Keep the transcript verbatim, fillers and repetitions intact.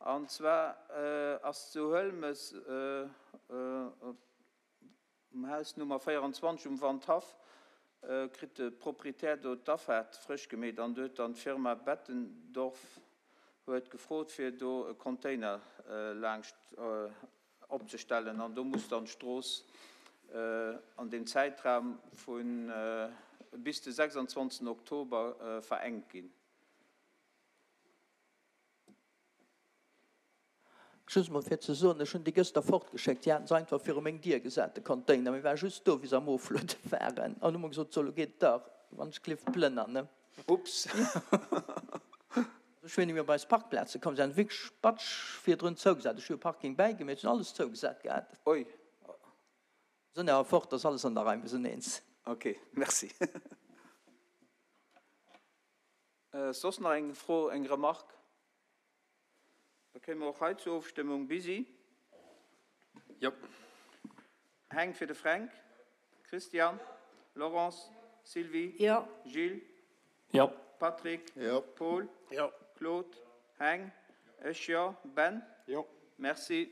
An zwar ass zu Huelmes um Haus Nummer véierundzwanzeg um Wandhaff, kritt de Proprietär do d'Afaart frësch gemeet an do huet dann d'Firma Bettendorf huet gefrot fir do e Container laangscht opzestellen an do muss dann d'Strooss an deem Zäitraum vu bis de sechsundzwanzegsten Oktober verengt ginn. Just emol fir ze soen, ech hunn déi gëschter fortgeschéckt, déi haten se einfach viru meng Dier gesat, de Container. Mir ware just do, wéi se am Ofluede waren, an hu mer gesot, so, elo geet et dach, wann ech gelift plënner, ne? Ups. Ech hunn mir op eis Parkplaze komm, se haten wierklech batsch virdrun zougesat. Ech hu e Parking bäigemeet, se hunn alles zougesat gehat. Oi. Sënn awer fort, ass alles an der Rei, mir sinn eens. Ok, merci. Soss nach eng Fro, eng Remarque? Da kéime mer och hei zur Ofstëmmung. Busy? Jo. Heng fir de Fränk. Christian? Laurence? Sylvie? Jo. Gilles? Jo. Patrick? Jo. Paul? Jo. Claude? Heng? Ech jo. Ben? Jo. Merci.